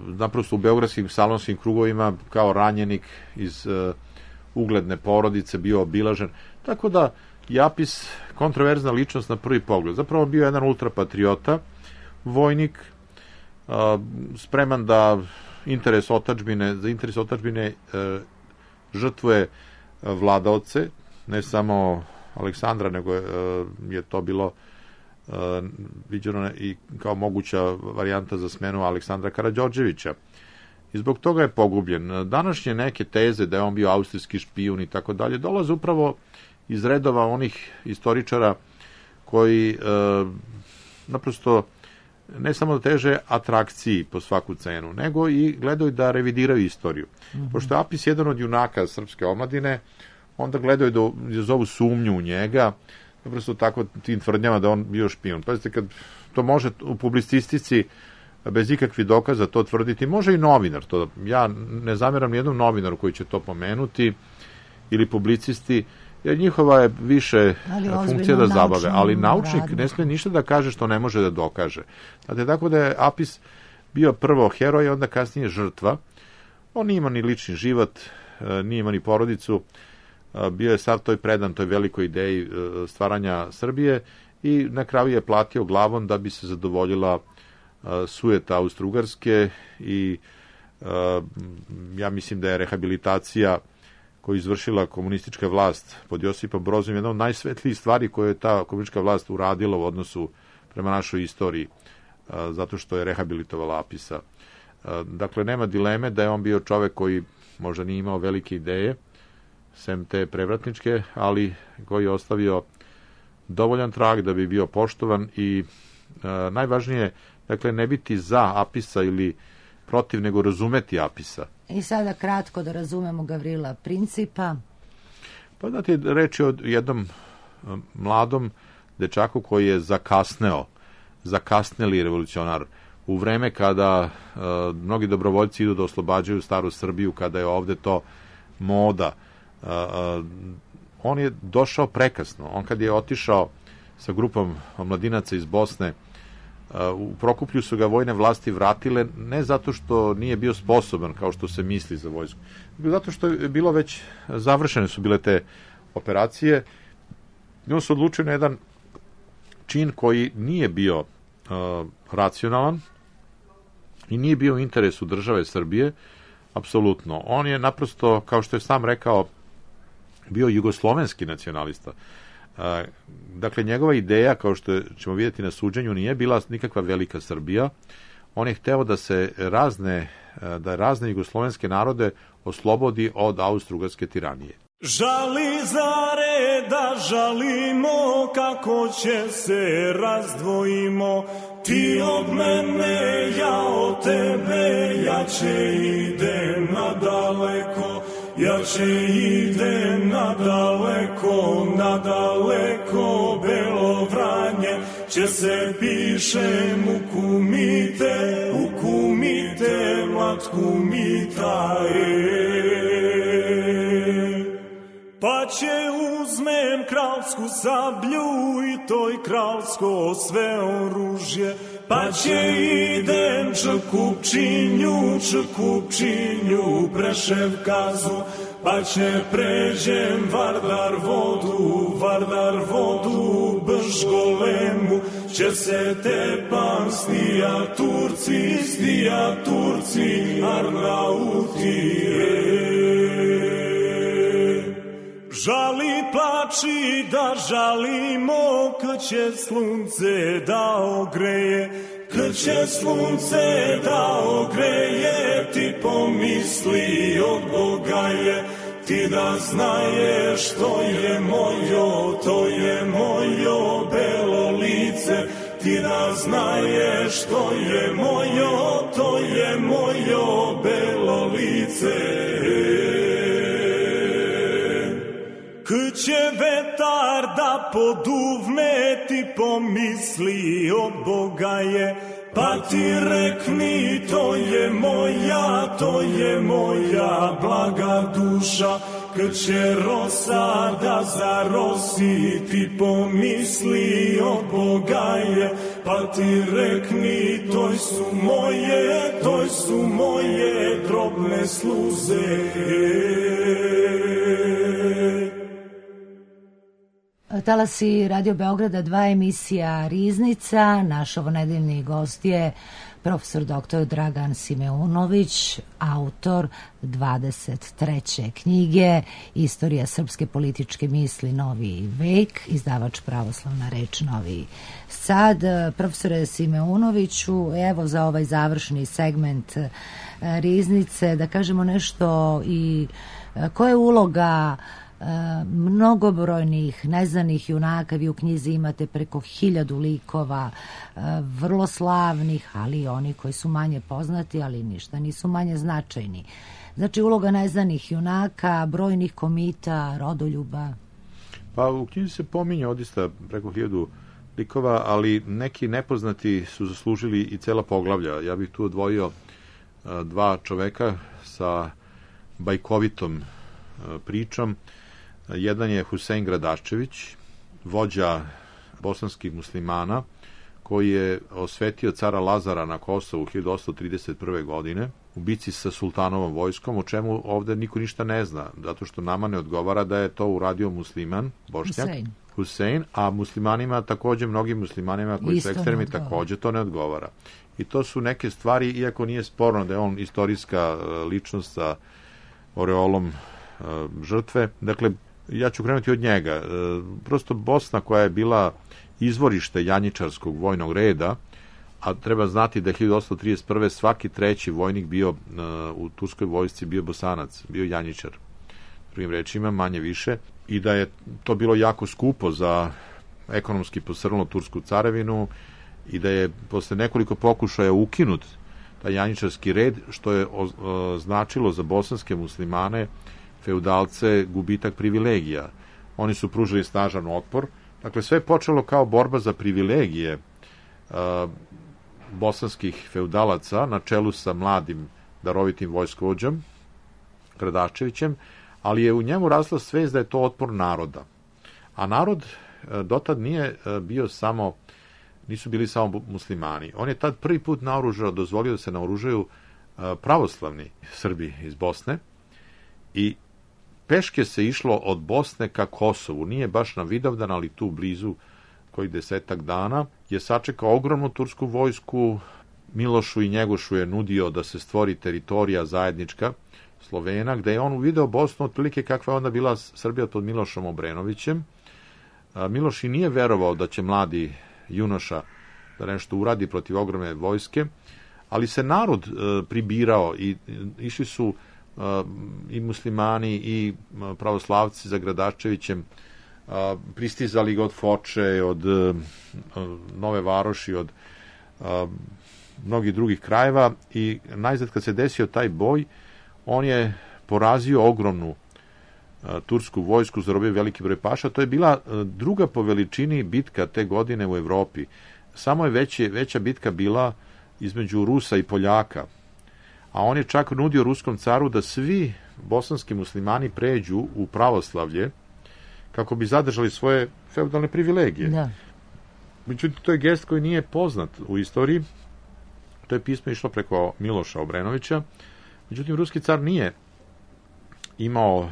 naprosto u beogradskim salonskim krugovima kao ranjenik iz ugledne porodice bio obilažen. Tako da je Apis kontroverzna ličnost na prvi pogled. Zapravo bio jedan ultrapatriota, vojnik, spreman da za interes otadžbine žrtvuje vladaoce, ne samo Aleksandra, nego je to bilo viđeno i kao moguća varijanta za smenu Aleksandra Karađorđevića. I zbog toga je pogubljen. Današnje neke teze da je on bio austrijski špijun i tako dalje dolaze upravo iz redova onih istoričara koji naprosto ne samo da teže atrakciji po svaku cenu, nego i gledaju da revidiraju istoriju. Pošto je Apis jedan od junaka srpske omladine, onda gledaju da zovu sumnju u njega, naprosto tako tim tvrdnjama da on bio špijun. Pazite, kad to može u publicistici bez ikakvih dokaza to tvrditi, može i novinar. Ja ne zamjeram nijednom novinaru koji će to pomenuti, ili publicisti, jer njihova je više funkcija da zabave, ali naučnik ne smije ništa da kaže što ne može da dokaže. Znate, tako da je Apis bio prvo heroj, onda kasnije žrtva. On nije imao ni lični život, nije imao ni porodicu, bio je sav toj predan toj velikoj ideji stvaranja Srbije i na kraju je platio glavom da bi se zadovoljila sujeta Austro-Ugarske i ja mislim da je rehabilitacija koju izvršila komunistička vlast pod Josipom Brozom jedna od najsvetlijih stvari koje je ta komunistička vlast uradila u odnosu prema našoj istoriji, zato što je rehabilitovala Apisa. Dakle, nema dileme da je on bio čovek koji možda nije imao velike ideje, sem te prevratničke, ali koji je ostavio dovoljan trag da bi bio poštovan i najvažnije, dakle, ne biti za Apisa ili protiv, nego razumeti Apisa. I sada kratko da razumemo Gavrila Principa. Pa znate, reč je o jednom mladom dečaku koji je zakasneli revolucionar u vreme kada mnogi dobrovoljci idu da oslobađaju staru Srbiju, kada je ovde to moda. on je došao prekasno. On kad je otišao sa grupom mladinaca iz Bosne, u Prokuplju su ga vojne vlasti vratile ne zato što nije bio sposoban, kao što se misli za vojsku, nego zato što je bilo već završene su bile te operacije. I on se odlučio na jedan čin koji nije bio racionalan i nije bio u interesu države Srbije, apsolutno. On je naprosto, kao što je sam rekao, bio jugoslovenski nacionalista. Dakle, njegova ideja, kao što ćemo vidjeti na suđenju, nije bila nikakva velika Srbija. On je hteo da se razne jugoslovenske narode oslobodi od austrougarske tiranije. Žali zare da žalimo, kako će se razdvojimo, ti od mene, ja od tebe, ja će idem nadaleko, ja će idem nadaleko, nadaleko, Belo Vranje, će se pišem u kumite, mlad kumita, Pa će uzmem kralsku sablju i toj kralsko sve oružje, pa će idem Čekupčinju, Prešev kazu, pa će pređem Vardar vodu, Bržgolemu, će se tepam stija Turci, Arnauti, Žali plači da žalimo, kad će slunce da ogreje, kad će slunce da ogreje, ti pomisli od Boga je, ti da znaješ to je mojo belo lice, ti da znaješ to je mojo belo lice. Kad će vetar da poduvne, ti pomisli od Boga je, pa ti rekni to je moja blaga duša. Kad će rosa da zarosi, ti pomisli od Boga je, pa ti rekni to su moje drobne sluze. Talasi Radio Beograda 2, emisija Riznica. Naš ovonedeljni gost je profesor dr. Dragan Simeunović, autor 23. knjige Istorija srpske političke misli Novi vek, izdavač Pravoslavna reč Novi Sad. Profesore Simeunoviću, evo za ovaj završni segment Riznice da kažemo nešto i koja je uloga mnogobrojnih neznanih junaka. Vi u knjizi imate preko 1000 likova, vrlo slavnih, ali i oni koji su manje poznati, ali ništa nisu manje značajni. Znači, uloga neznanih junaka, brojnih komita, rodoljuba. Pa u knjizi se pominje odista preko 1000 likova, ali neki nepoznati su zaslužili i cela poglavlja. Ja bih tu odvojio 2 čoveka sa bajkovitom pričom. Jedan je Husein Gradaščević, vođa bosanskih muslimana, koji je osvetio cara Lazara na Kosovu 1831. godine u bici sa sultanovom vojskom, o čemu ovde niko ništa ne zna, zato što nama ne odgovara da je to uradio musliman, bošnjak, Husein, a muslimanima takođe, mnogim muslimanima koji su ekstremni, takođe to ne odgovara. I to su neke stvari, iako nije sporno da je on istorijska ličnost sa oreolom žrtve. Dakle, ja ću krenuti od njega. Prosto Bosna, koja je bila izvorište janjičarskog vojnog reda, a treba znati da je 1831. svaki 3. vojnik bio u turskoj vojsci bio Bosanac, bio janjičar. Drugim rečima, manje više, i da je to bilo jako skupo za ekonomski posrnulo tursku carevinu i da je posle nekoliko pokušaja ukinut taj janjičarski red, što je značilo za bosanske muslimane, feudalce, gubitak privilegija. Oni su pružili snažan otpor. Dakle, sve je počelo kao borba za privilegije bosanskih feudalaca na čelu sa mladim darovitim vojskovođom Gradaščevićem, ali je u njemu rasla svest da je to otpor naroda. A narod dotad nije bio samo, nisu bili samo muslimani. On je tad prvi put naoružao, dozvolio da se naoružaju pravoslavni Srbi iz Bosne i peške se išlo od Bosne ka Kosovu. Nije baš na Vidovdan, ali tu blizu koji 10 dana je sačekao ogromnu tursku vojsku. Milošu i Njegošu je nudio da se stvori teritorija zajednička Slovena, gde je on uvideo Bosnu otprilike kakva je onda bila Srbija pod Milošom Obrenovićem. Miloš i nije verovao da će mladi junoša da nešto uradi protiv ogromne vojske, ali se narod pribirao i išli su i muslimani i pravoslavci za Gradaščevićem, pristizali ga od Foče, od Nove Varoši, od mnogih drugih krajeva i najzad kad se desio taj boj, on je porazio ogromnu tursku vojsku, zarobio veliki broj paša. To je bila druga po veličini bitka te godine u Evropi. Samo je veća bitka bila između Rusa i Poljaka. A on je čak nudio ruskom caru da svi bosanski muslimani pređu u pravoslavlje kako bi zadržali svoje feudalne privilegije. Da. Međutim, to je gest koji nije poznat u istoriji. To je pismo išlo preko Miloša Obrenovića. Međutim, ruski car nije imao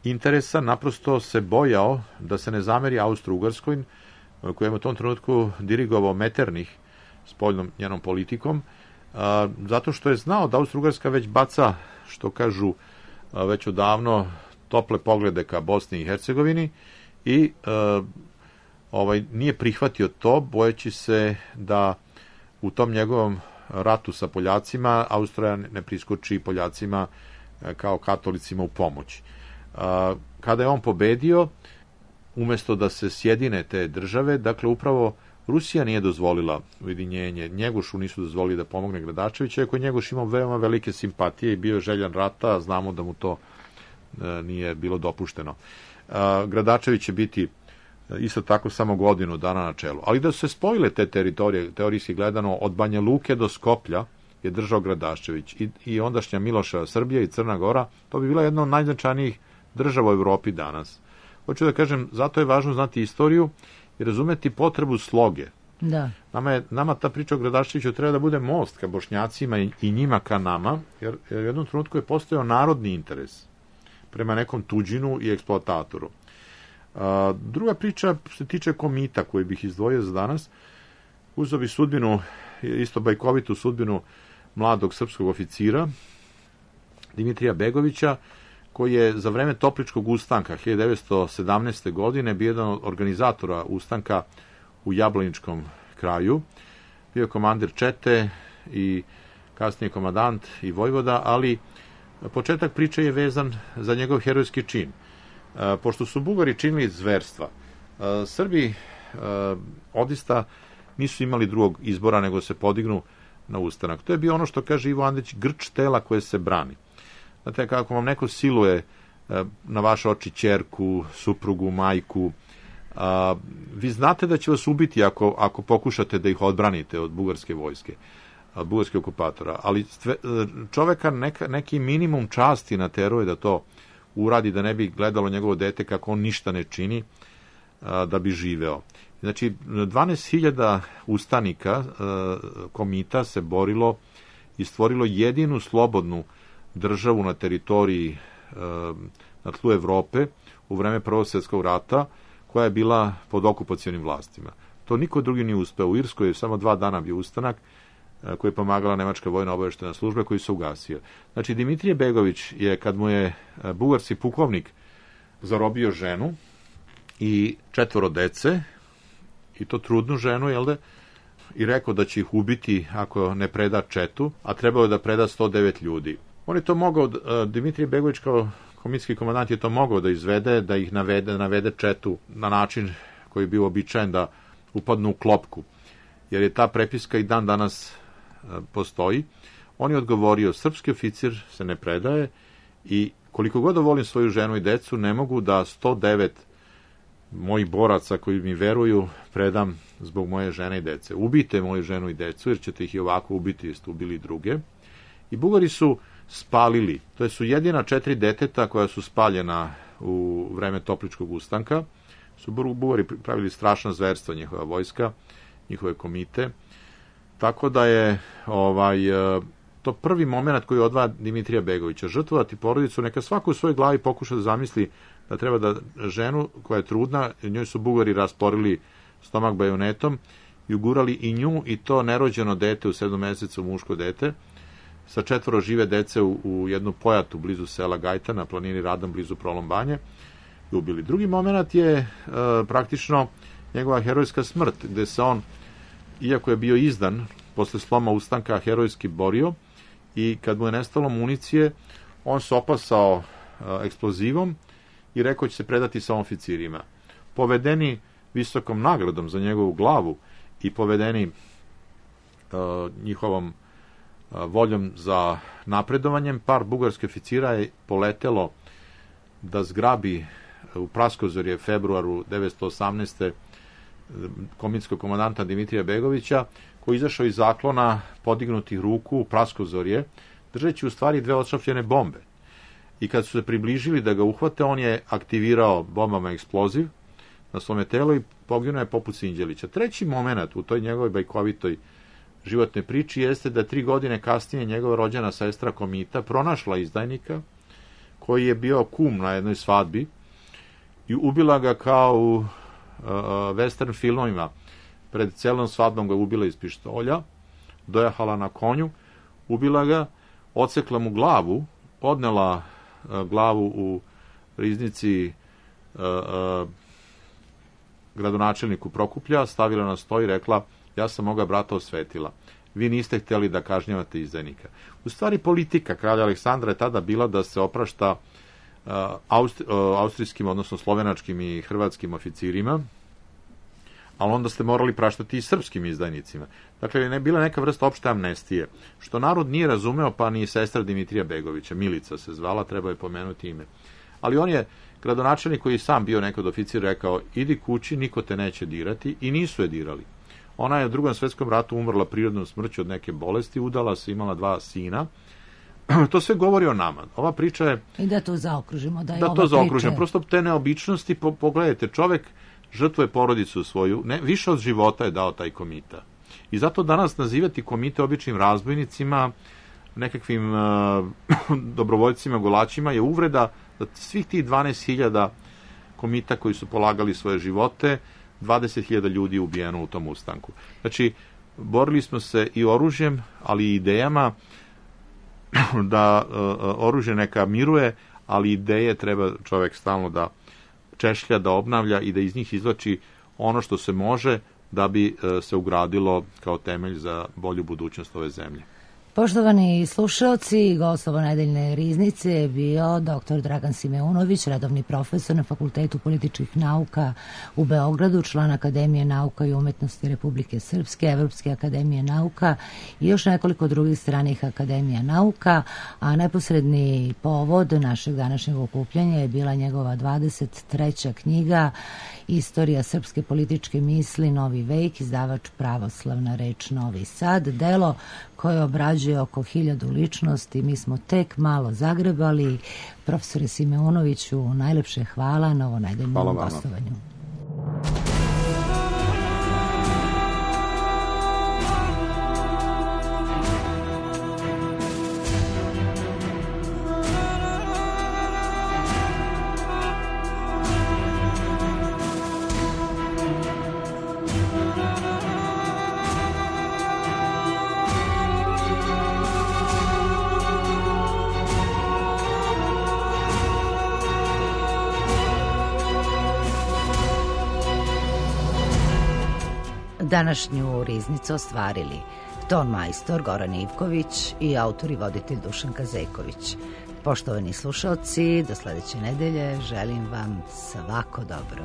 interesa, naprosto se bojao da se ne zameri Austro-Ugarskoj, koja je u tom trenutku dirigovao Metternich spoljnom njenom politikom, zato što je znao da Austro-Ugarska već baca, što kažu već odavno, tople poglede ka Bosni i Hercegovini i nije prihvatio to, bojeći se da u tom njegovom ratu sa Poljacima Austrija ne priskoči Poljacima kao katolicima u pomoć. Kada je on pobedio, umesto da se sjedine te države, dakle upravo Rusija nije dozvolila ujedinjenje, Njegošu nisu dozvolili da pomogne Gradaščevića, iako Njegoš imao veoma velike simpatije i bio je željan rata, a znamo da mu to nije bilo dopušteno. Gradaščević će biti isto tako samo godinu dana na čelu. Ali da su se spojile te teritorije, teorijski gledano, od Banja Luke do Skoplja je držao Gradaščević i ondašnja Miloša Srbija i Crna Gora, to bi bila jedna od najznačajnijih država u Evropi danas. Hoću da kažem, zato je važno znati istoriju i razumeti potrebu sloge. Da. Nama ta priča o Gradaščeviću treba da bude most ka Bošnjacima i njima ka nama, jer u jednom trenutku je postojao narodni interes prema nekom tuđinu i eksploatatoru. Druga priča se tiče komita koju bih izdvojio za danas. Uzeo bi sudbinu, isto bajkovitu sudbinu mladog srpskog oficira Dimitrija Begovića, koji je za vreme Topličkog ustanka 1917. godine bio jedan od organizatora ustanka u Jablaničkom kraju. Bio je komandir čete i kasnije komandant i vojvoda, ali početak priče je vezan za njegov herojski čin. Pošto su Bugari činili zverstva, Srbi odista nisu imali drugog izbora nego se podignu na ustanak. To je bio ono što kaže Ivo Andrić, grč tela koje se brani. Znate, kako vam neko siluje na vaše oči ćerku, suprugu, majku, vi znate da će vas ubiti ako pokušate da ih odbranite od bugarske vojske, od bugarskih okupatora, ali čoveka neki minimum časti nateruje da to uradi, da ne bi gledalo njegovo dete kako on ništa ne čini da bi živeo. Znači, 12.000 ustanika komita se borilo i stvorilo jedinu slobodnu državu na teritoriji na tlu Evrope u vreme Prvog svjetskog rata, koja je bila pod okupacionim vlastima. To niko drugi nije uspeo. U Irskoj je samo 2 dana bio ustanak koji je pomagala Nemačka vojna obavještajna služba koji se ugasio. Znači, Dimitrije Begović je, kad mu je bugarski pukovnik zarobio ženu i 4 dece, i to trudnu ženu, jel da, i rekao da će ih ubiti ako ne preda četu, a trebao je da preda 109 ljudi. On je to mogao, Dimitrije Begović kao komitski komandant je to mogao da izvede, da ih navede četu na način koji je bio običajen da upadnu u klopku, jer je ta prepiska i dan danas postoji. On je odgovorio, srpski oficir se ne predaje i koliko god da volim svoju ženu i decu, ne mogu da 109 mojih boraca koji mi veruju predam zbog moje žene i dece. Ubijte moju ženu i decu, jer ćete ih i ovako ubiti, jer ste ubili druge. I Bugari su spalili. To su jedina 4 deteta koja su spaljena u vreme Topličkog ustanka. Su Bugari pravili strašna zverstva, njihova vojska, njihove komite. Tako da je to prvi moment koji odvaja Dimitrija Begovića. Žrtvovati porodicu, neka svako u svojoj glavi pokuša da zamisli da treba da ženu koja je trudna, njoj su Bugari rasporili stomak bajonetom i ugurali i nju i to nerođeno dete u 7 mesecu, muško dete, sa 4 žive dece u jednu pojatu blizu sela Gajta na planini Radan blizu Prolombanje i ubili. Drugi moment je praktično njegova herojska smrt, gde se on, iako je bio izdan posle sloma ustanka, herojski borio i kad mu je nestalo municije, on se opasao eksplozivom i rekao će se predati sa oficirima. Povedeni visokom nagradom za njegovu glavu i povedeni njihovom voljom za napredovanjem, par bugarskih oficira je poletelo da zgrabi u Praskozorje februaru 1918. komitskog komandanta Dimitrija Begovića, koji je izašao iz zaklona podignutih ruku u Praskozorje, držeći u stvari 2 odšrafljene bombe. I kad su se približili da ga uhvate, on je aktivirao bombama eksploziv na svome telo i poginuo je poput Sinđelića. Treći moment u toj njegovoj bajkovitoj životnoj priči jeste da 3 godine kasnije njegova rođena sestra Komita pronašla izdajnika koji je bio kum na jednoj svadbi i ubila ga kao u western filmovima. Pred celom svadbom ga ubila iz pištolja, dojahala na konju, ubila ga, odsekla mu glavu, odnela glavu u riznici gradonačelniku Prokuplja, stavila na sto i rekla: ja sam moga brata osvetila. Vi niste htjeli da kažnjavate izdajnika. U stvari politika kralja Aleksandra je tada bila da se oprašta austrijskim, odnosno slovenačkim i hrvatskim oficirima, ali onda ste morali praštati i srpskim izdajnicima. Dakle, ne bila neka vrsta opšte amnestije, što narod nije razumeo, pa ni sestra Dimitrija Begovića, Milica se zvala, treba je pomenuti ime. Ali on je, gradonačelnik koji je sam bio nekad oficir, rekao: idi kući, niko te neće dirati, i nisu je dirali. Ona je u Drugom svetskom ratu umrla prirodnom smrću od neke bolesti, udala se, imala 2 sina. To sve govori o nama. Ova priča je... I da to zaokružimo, Prosto te neobičnosti, pogledajte, čovek žrtvuje porodicu svoju, više od života je dao taj Komita. I zato danas nazivati Komite običnim razbojnicima, nekakvim dobrovoljcima, golačima, je uvreda da svih tih 12.000 Komita koji su polagali svoje živote, 20.000 ljudi je ubijeno u tom ustanku. Znači, borili smo se i oružjem, ali i idejama, da oružje neka miruje, ali ideje treba čovek stalno da češlja, da obnavlja i da iz njih izvlači ono što se može da bi se ugradilo kao temelj za bolju budućnost ove zemlje. Poštovani slušalci, gost ovonedeljne riznice je bio dr. Dragan Simeunović, redovni profesor na Fakultetu političkih nauka u Beogradu, član Akademije nauka i umetnosti Republike Srpske, Evropske akademije nauka i još nekoliko drugih stranih akademija nauka, a neposredni povod našeg današnjeg okupljanja je bila njegova 23. knjiga Istorija srpske političke misli, Novi vek, izdavač Pravoslavna reč Novi Sad, delo koje obrađuje oko 1000 ličnosti. Mi smo tek malo zagrebali. Profesore Simeunoviću, najlepše hvala na ovonedeljnom gostovanju. Današnju riznicu ostvarili ton majstor Goran Ivković i autor i voditelj Dušan Kazeković. Poštovani slušalci, do sledeće nedelje želim vam svako dobro.